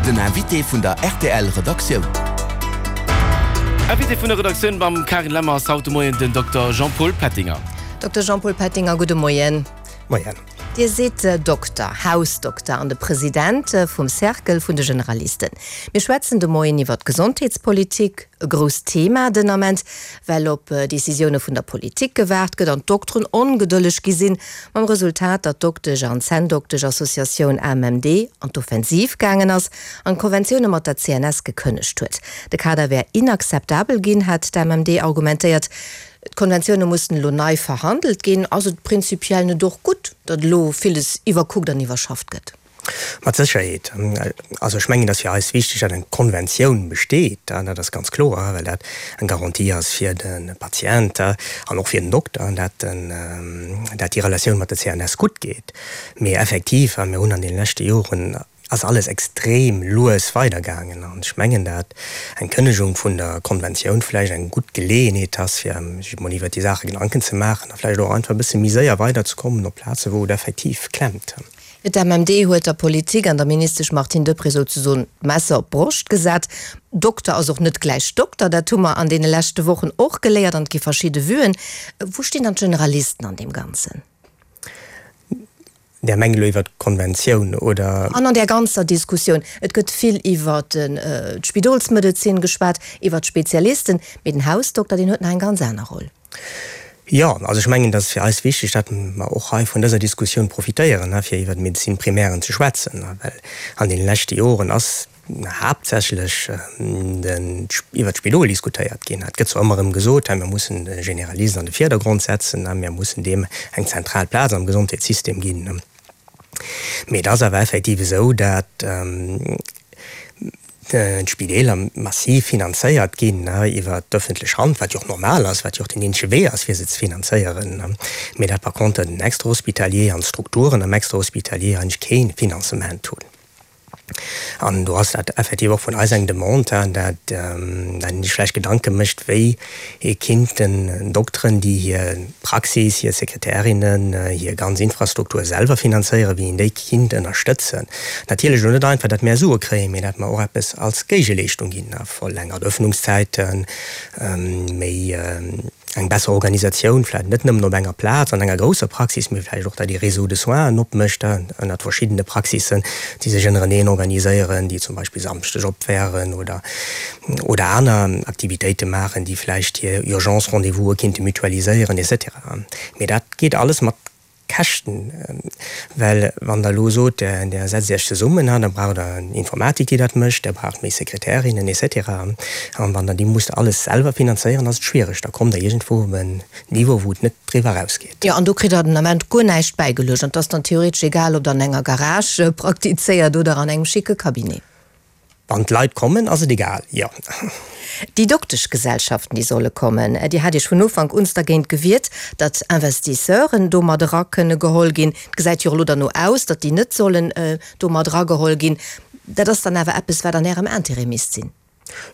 Den Invité vun der rtl Redaktioun. Invité vun der Redaktioun mam Karin Lemmer ass haut de Moien den Dokter Jean-Paul Pettinger. Dokter Jean-Paul Pettinger, gudde Moien. Moien. Dir sidd Dokter, Hausdokter an de President vum Cercle vun de Generalisten. Mir schwätzen de Moien iwwer d'Gesondheetspolitik, e grousst Thema den Ament, well op Decisioune vun der Politik gewaart gëtt an d'Dokteren ongedëlleg gi sinn, mam Resultat, datt d'Doktesch an Zänndoktesch-Associatioun AMMD an d'Offensiv gaangen ass an d'Konventioune mat der CNS gekënnegt huet. De Kader wär inakzeptabel ginn, hat d'AMMD argumentéiert. D'Konventioune mussen elo nei verhandelt ginn. Ass et prinzipiell net och gutt, datt elo villes iwwerkuckt an iwwerschafft gëtt? Mat Sécherheet. Also ech mengen, et ass fir eis wichteg, datt eng Konventioun besteet, dat ass ganz kloer, well dat eng Garantie ass fir de Patient an och fir den Dokter, datt déi Relatioun mat der CNS gutt geet. Mee effektiv, mir hunn an deene leschte Joren ass alles extrem lues weidergaangen an ech mengen, dat eng Kënnegung vun der Konventioun vläicht eng gutt Geleeënheet ass, fir sech emol iwwert déi Saache Gedanken ze maachen a vläicht och einfach e bësse méi séier weiderzekommen op Plaze wou et effektiv klemmt. D'MMD huet der Politik an der Ministesch Martine Deprez souzesoen d'Messer op d'Broscht gesat. Dokter ass och net gläich Dokter, dat hu mer an deene leschte Wochen och geléiert an et gi verschidde Vuen. Wou stinn dann d'Generalisten an deem Ganzen? Där mengt elo iwwert d'Konventioun, oder? An an där ganzer Diskussioun, et gëtt vill iwwert d'Spidolsmedezin geschwat, iwwert d'Spezialisten, mee den Hausdokter, deen huet nach eng ganz aner Roll. Jo, also ech mengen, et ass fir eis wichteg, datt mer och hei vun dëser Diskussioun profitéieren, fir iwwert d'Médecine primaire ze schwätzen, well an deene leschte Joren ass haaptsächlech iwwert d'Spidol diskutéiert ginn. Et gëtt zwar ëmmer erëm gesot, hei mir mussen de Generalist an de Virdergrond setzen, mir mussen deem eng zentral Plaz am Gesondheetssystem ginn. Mee et ass awer effektiv esou, dat d'Spideeler massiv finanzéiert ginn iwwert d'ëffentlech Hand, wat jo och normal ass, wat jo och den eenzege Wee ass, fir se ze finanzéieren, mee dat par contre den Extrahospitalier an d'Strukturen am Extrahospitalier eigentlech kee Finanzement hunn. An do ass dat effektiv och vun eis eng Demande, dat een sech vläicht Gedanke mécht, wéi ee kinnt den Dokteren, déi hir Praxis, hir Sekretärinnen, hir ganz Infrastruktur selwer finanzéieren, wéi een déi kinnt ënnerstëtzen. Natierlech elo net einfach, datt mär Sue kréien, mee datt mer och eppes als Géigeleeschtung ginn, verlängert Öffnungszäiten, méi eng besser Organisatioun, vläicht net nëmmen op enger Plaz an enger grousser Praxis, mee vläicht och, datt ee Réseau de soins opmécht ënnert verschiddene Praxissen, déi sech ënnereneen organiséieren, déi zum Beispill samschdeg op wären oder oder aner Aktivitéite maachen, déi vläicht hir Urgence-Rendez-vouse kinnte mutualiséieren et cetera. Mee dat geet alles mat Käschten, well wann Der elo sot, Der setzt Iech zesummen, da braucht Der eng Informatik, déi dat mécht, Der braucht méi Sekretärinnen et cetera. An wann Der déi musst alles selwer finanzéieren, ass et schwiereg. Da kommt Der iergendwou op en Niveau, wou et net driwwer erausgeet. Jo, an do kritt Der den Ament guer näischt bäigeluecht. An et ass dann theoretesch egal, ob Der an enger Garage praktizéiert oder an engem schicke Cabinet. Wann d'Leit kommen, ass et egal, jo. Déi Dokteschgesellschaften, déi solle kommen, Dir hat Iech vun Ufank uns dergéint gewiert, datt Investisseuren do mat era kënne geholl ginn. Et gesäit jo och elo derno aus, datt déi net sollen do mat erageholl ginn. Dat ass dann awer eppes, wat an Ärem Intérêt misst sinn.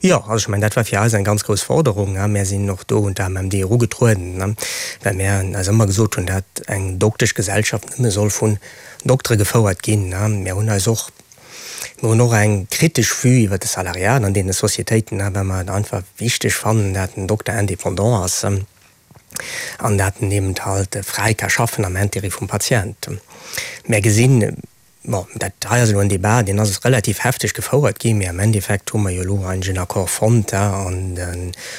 Jo, also ech mengen, dat war fir eis eng ganz grouss Forderung. Mär sinn och do un d'AMMD erugetrueden, well mär eis ëmmer gesot hunn, datt eng Dokteschgesellschaft nëmme soll vun Doktere gefouert ginn. Mär hunn eis och Mir hunn och eng kritesch Vue iwwert de Salariat an deene Societéiten, well mer et einfach wichteg fannen, dat den Dokter indépendant ass an dat en eben halt fräi ka schaffen am Intérêt vum Patient. Mär gesinn, bon, dat hei ass elo en Débat, deen ass relativ hefteg gefouert ginn, mee am Endeffekt hu mer jo elo eigentlech en Accord fonnt an de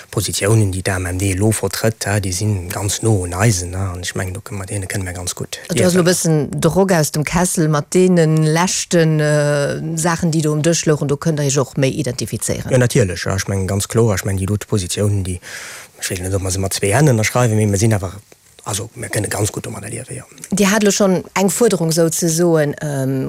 Positiounen, déi d'AMMD elo vertrëtt, déi si ganz no un eisen, an ech mengen, do kënne mer, deene kënne mer ganz gutt Do ass elo e liewen. bëssen de Rock aus dem Kessel mat deene leschte Saachen, déi do um Dësch louchen. Do kënnt Der Iech och méi identifizéieren. Jo, natierlech. Ech mengen, ganz kloer. Ech mengen, déi dote Positiounen, déi, ech weess net, ob mer se mat zwee Hänn ënnerschreiwen, mee mer sinn awer, also mer kënne ganz gutt domadder liewen, jo. Dir hat elo schonn eng Fuerderung souzesoen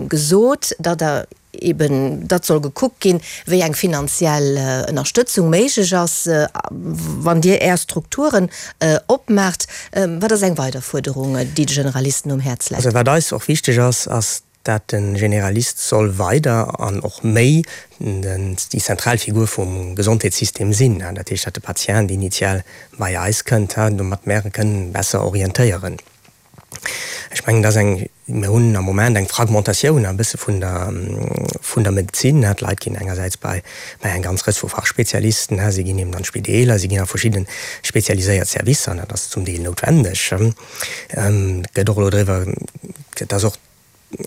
gesot, datt Der eben datt soll gekuckt ginn, wéi eng finanziell Ënnerstëtzung méiglech ass, wann Dir Är Strukturen opmaacht. Wat ass eng weider Fuerderung, déi de Generalisten um Häerz läit? Also wat eis och wichteg ass, ass, dat de Generalist soll weider an och méi déi zentral Figur vum Gesondheetssystem sinn. Dat heescht, dat de Patient initial bei eis kënnt, domat mär e kënnen besser orientéieren. Ech mengen, dat ass eng, mir hunn am Moment eng Fragmentatioun e bësse vun der, vun der Medezin. D'Leit ginn engersäits bei, bei eng ganz Rëtsch vu Fachspezialisten, si ginn eben an d'Spideeler, si ginn a verschidde spezialiséiert Servicer, dat ass zum Deel noutwendeg. Et gëtt och elo driwwer, et ass och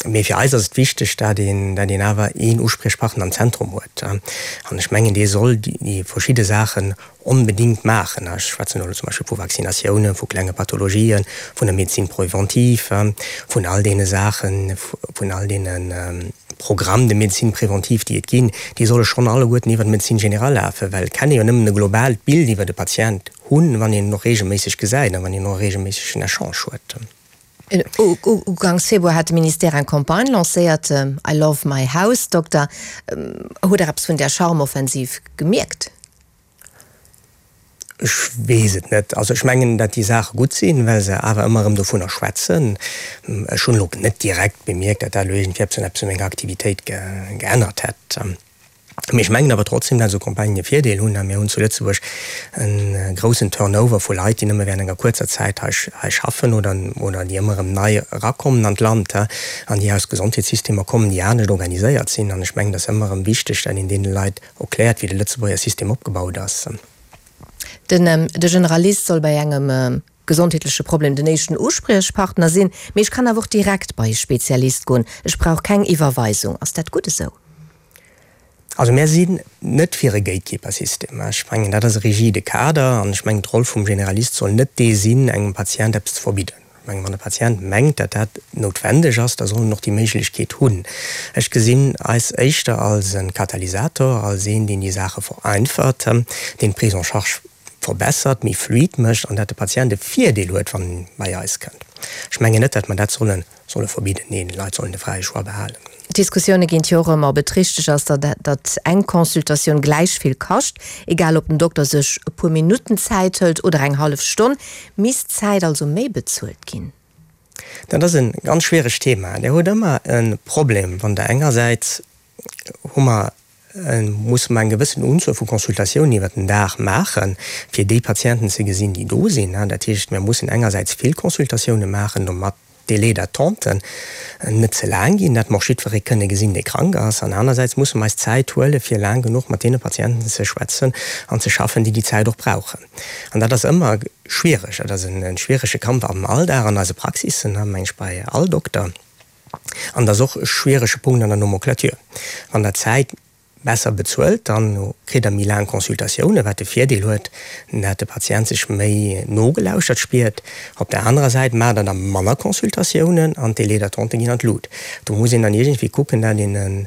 Mee fir eis ass et wichteg, dat een, dat een awer een Uspriechpartner am Zentrum huet. An ech mengen, dee soll déi verschidde Saachen onbedéngt maachen. Ech schwätzen elo zum Beispill vu Vaccinatiounen, vu klenge Pathologien, vun der Médecine préventive, vun all deene Saachen, vun all deene Programmes de médecine préventive, déi et ginn. Déi solle schonn alleguerten iwwer d'Médecine générale lafen, well et kann ee jo nëmmen e globaalt Bild iwwer e Patient hunn, wann een en och regelméisseg gesäit a wann een och e regelméissegen Echange huet. Uganks Februar hat de Ministère eng Campagne lancéiert, I love my house doctor. Hutt Der eppes vun där Charme-Offensiv gemierkt? Ech weess et net. Also ech mengen, datt déi Saache gutt sinn, well se awer ëmmer erëm dovunner schwätzen. Ech hunn elo net direkt bemierkt, datt dat elo iergendwéi eppes un eppes u menger Aktivitéit geännert hätt. Mee ech mengen awer trotzdem, dat esou Campagnen e Virdeel hunn. Mir hunn zu Lëtzebuerg e groussen Turnover vu Leit, déi nëmme während enger kuerzer Zäit hei hei schaffen oder oder déi ëmmer erëm nei erakommen an d'Land an déi aus Gesondheetssystemer kommen, déi anescht organiséiert sinn. An ech mengen, et ass ëmmer erëm wichteg, dat een deene Leit erkläert, wéi de Lëtzebuerger System opgebaut ass. Den de Generalist soll bei engem gesondheetleche Problem den éischten Uspriechpartner sinn, mee ech kann awer och direkt bei e Spezialist goen. Ech brauch keng Iwwerweisung. Ass dat gutt esou? Also mär sinn net fir e Gatekeeper-System. Ech mengen, dat ass e rigide Kader an ech mengen, d'Roll vum Generalist soll net dee sinn, engem Patient eppes ze verbidden. Ech mengen, wann e Patient mengt, datt dat noutwendeg ass, da soll en och déi Méiglechkeet hunn. Ech gesinn eis éischter als e Katalysator, als een, deen déi Saache vereinfacht, deen d'Prise en charge verbessert, méi fluid mécht an datt de Patient e Virdeel huet, wann en bei eis kënnt. Ech mengen net, datt mer dat sollen Solle verbidden? Neen, d'Leit sollen de fräie Choix behalen. D'Diskussioune ginn jo och ëm, ob et richteg ass, datt eng Consultatioun gläich vill kascht, egal ob den Dokter sech e puer Minutten Zäit hëlt oder eng hallef Stonn. Misst d'Zäit also méi bezuelt ginn? Dat ass e ganz schwieregt Thema. Dir hutt ëmmer e Problem, wann Der engersäits hu mer musse mer eng gewëssen Unzuel vu Consultatiounen iwwert den Dag maachen, fir déi Patienten ze gesinn, déi do sinn. Dat heescht, mir mussen engersäits vill Consultatioune maachen, domat d'Délais d'attente net ze laang ginn, dat mer och jiddweree kënne gesinn, dee krank ass. An anersäits musse mer eis Zäit huelen, fir laang genuch mat deene Patienten ze schwätzen an ze schaffen, déi déi Zäit och brauchen. An dat ass ëmmer schwiereg. Dat ass e schwierege Kampf am Alldag an eise Praxissen, meng ech, bei all Dokter. An dat ass och e schwierege Punkt an der Nomenclature. Wann Der Zäit besser bezuelt, da kritt Der méi laang Consultatiounen, wat de Virdeel huet, dat de Patient sech méi nogelauschtert spiert. Op der anerer Säit maacht Der da manner Consultatiounen an d'Délais d'attente ginn an d'Lut. Do muss een dann iergendwéi kucken, dat een e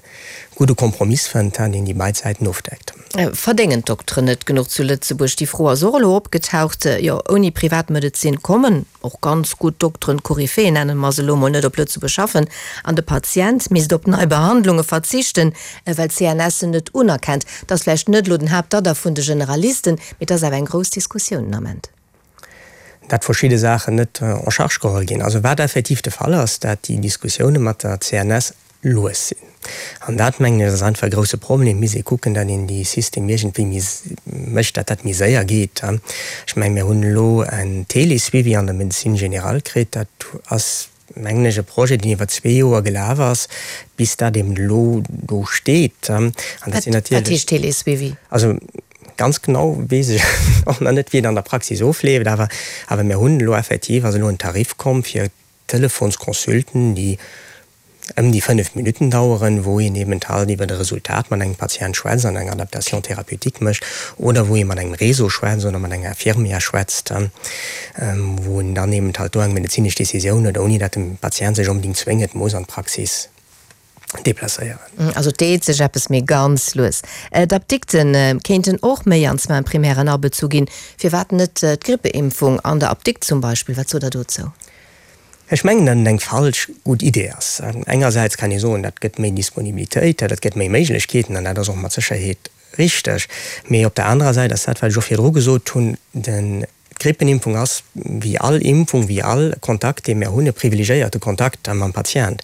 gudde Kompromiss fënnt, deen déi beid Säiten ofdeckt. Verdéngen d'Dokteren net genuch zu Lëtzebuerg? Déi Fro ass och elo opgetaucht. Jo, ouni Privatmedezin kommen och ganz gutt Dokteren, Koryphéen nennen mer se elo mol, net op Lëtzebuerg schaffen an de Patient misst op nei Behandlunge verzichten, well d'CNS se net unerkennt. Dat ass vläicht net elo den Haaptadder vun de Generalisten, mee et ass awer eng grouss Diskussioun den Ament. Dat verschidde Saachen net en charge geholl ginn. Also wat effektiv de Fall ass, dat déi Diskussioune mat der CNS lues sinn. An dat, mengen ech, ass einfach e grouse Problem. Et misst ee kucken, datt een déi System iergendwéi méi mécht, datt dat méi séier geet. Ech mengen, mir hunn elo en Télé-Suivi an der Médecine générale kritt. Dat ass, mengen ech, e Projet, deen iwwer zwee Joer gelaf ass, bis dat eben elo do steet. An dat sinn natierlech. Wat heescht Télé-Suivi? Also ganz genau weess ech och nach net, wéi et an der Praxis ofleeft, awer, awer mir hunn elo effektiv, ass elo en Tarif komm fir Telefonsconsulten, déi ëm déi 5 Minutten daueren, wou een eben halt iwwer e Resultat mat engem Patient schwätzt an eng Adaptation thérapeutique mécht oder wou ee mat engem Réseau schwätzt oder mat enger Infirmière schwätzt, wou en dann eben halt do eng medezinesch Décisioun huet, ouni datt de Patient sech onbedéngt zwéngend muss an d'Praxis déplacéieren. Also et deet sech eppes, mee ganz lues. D'Apdikte kéinten och méi an zwar am Primären abezu ginn. Firwat net d'Grippeimpfung an der Apdikt zum Beispill? Wat sot Der dozou? Ech mengen, datt et eng falsch gutt Idee ass. Engersäits kann ee soen, dat gëtt méi Disponibilitéit, dat gëtt méi Méiglechkeeten, an dat ass och mat Sécherheet richteg. Mee op der anerer Säit ass dat, wat ech och virdru gesot hunn, den. D'Grippenimpfung ass, wéi all Impfung, wéi all Kontakt, dee mir hunn, e privilegiéierte Kontakt mam Patient.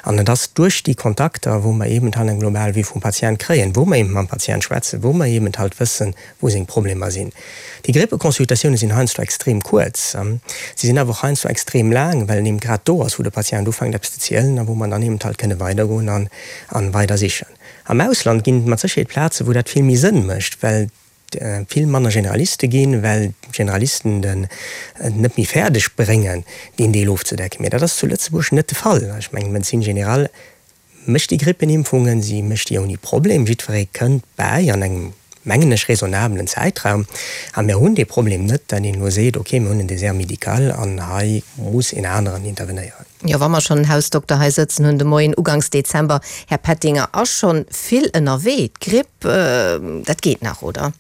An et ass duerch déi Kontakter, wou mer eben halt eng global Vue vum Patient kréien, wou mer eben mam Patient schwätzen, wou mer eben halt wëssen, wou seng Problemer sinn. Déi Grippeconsultatioune sinn heiansdo extrem kuerz. Si sinn awer och heiansdo extrem laang, well et eben grad do ass, wou de Patient ufänkt eppes ze zielen a wou mer dann eben halt kënne weidergoen an weider sichen. Am Ausland ginn et mat Sécherheet Plazen, wou dat vill méi Sënn mécht, well et vill manner Generaliste ginn, well d'Generalisten den et net méi fäerdeg bréngen, deen Deel ofzedecken. Mee dat ass zu Lëtzebuerg net de Fall. Ech mengen, d'Médecine générale mécht déi Grippenimpfungen, si mécht déi ouni Problem, jiddweree kënnt bäi an engem, mengen ech, raisonnabelen Zäitraum. A mir hunn dee Problem net, dat een elo seet, okay, mir hunn en Désert médical an hei muss een aneren intervenéieren. Jo, wa mer schonn en Hausdokter hei sëtzen hunn de Moien, uganks Dezember, Här Pettinger, ass schonn vill ënnerwee. D'Gripp, dat geet nach, oder?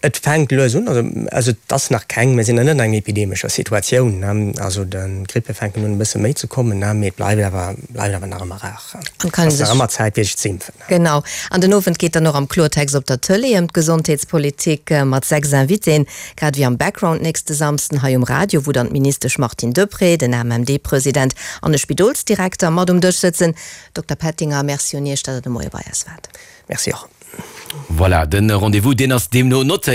Et fänkt lues un, also et ass nach keng, mir sinn nach net an enger epidemescher Situatioun, also d'Grippe fänken un e bësse méi ze kommen, mee et bleift awer, bleift awer nach ëmmer rar. Et ass nach ëmmer Zäit fir sech ze impfen. Genau. An den Owend geet dann och am Kloertext op der Tëlee ëm d'Gesondheetspolitik mat 6 Invitéen, grad ewéi am Background nächste Samsden hei um Radio, wou dann d'Ministesch Martine Deprez, den AMMD-President an e Spidolsdirekter mat um Dësch sëtzen. Dokter Pettinger, Merci un Iech, datt Der de Moie bei eis waart. Merci och. Voilà, de Rendez-vous, deen ass deemno notéiert.